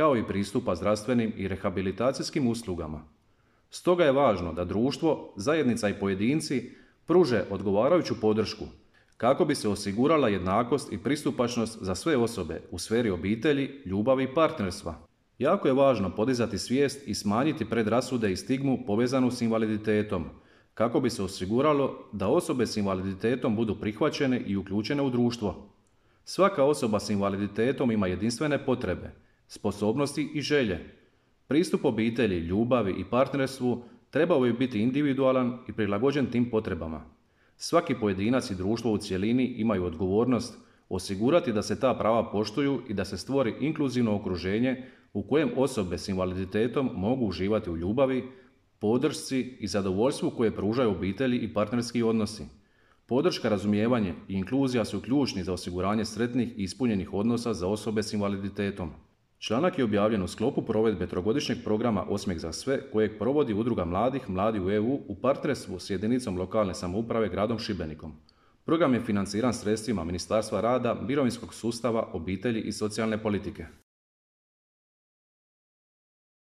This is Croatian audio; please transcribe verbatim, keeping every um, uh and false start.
kao i pristupa zdravstvenim i rehabilitacijskim uslugama. Stoga je važno da društvo, zajednica i pojedinci pruže odgovarajuću podršku kako bi se osigurala jednakost i pristupačnost za sve osobe u sferi obitelji, ljubavi i partnerstva. Jako je važno podizati svijest i smanjiti predrasude i stigmu povezanu s invaliditetom, kako bi se osiguralo da osobe s invaliditetom budu prihvaćene i uključene u društvo. Svaka osoba s invaliditetom ima jedinstvene potrebe, sposobnosti i želje. Pristup obitelji, ljubavi i partnerstvu trebao bi biti individualan i prilagođen tim potrebama. Svaki pojedinac i društvo u cjelini imaju odgovornost osigurati da se ta prava poštuju i da se stvori inkluzivno okruženje u kojem osobe s invaliditetom mogu uživati u ljubavi, podršci i zadovoljstvu koje pružaju obitelji i partnerski odnosi. Podrška, razumijevanje i inkluzija su ključni za osiguranje sretnih i ispunjenih odnosa za osobe s invaliditetom. Članak je objavljen u sklopu provedbe trogodišnjeg programa Osmijeh za sve kojeg provodi Udruga mladih Mladi u E U u partnerstvu s jedinicom lokalne samouprave gradom Šibenikom. Program je financiran sredstvima Ministarstva rada, mirovinskog sustava, obitelji i socijalne politike.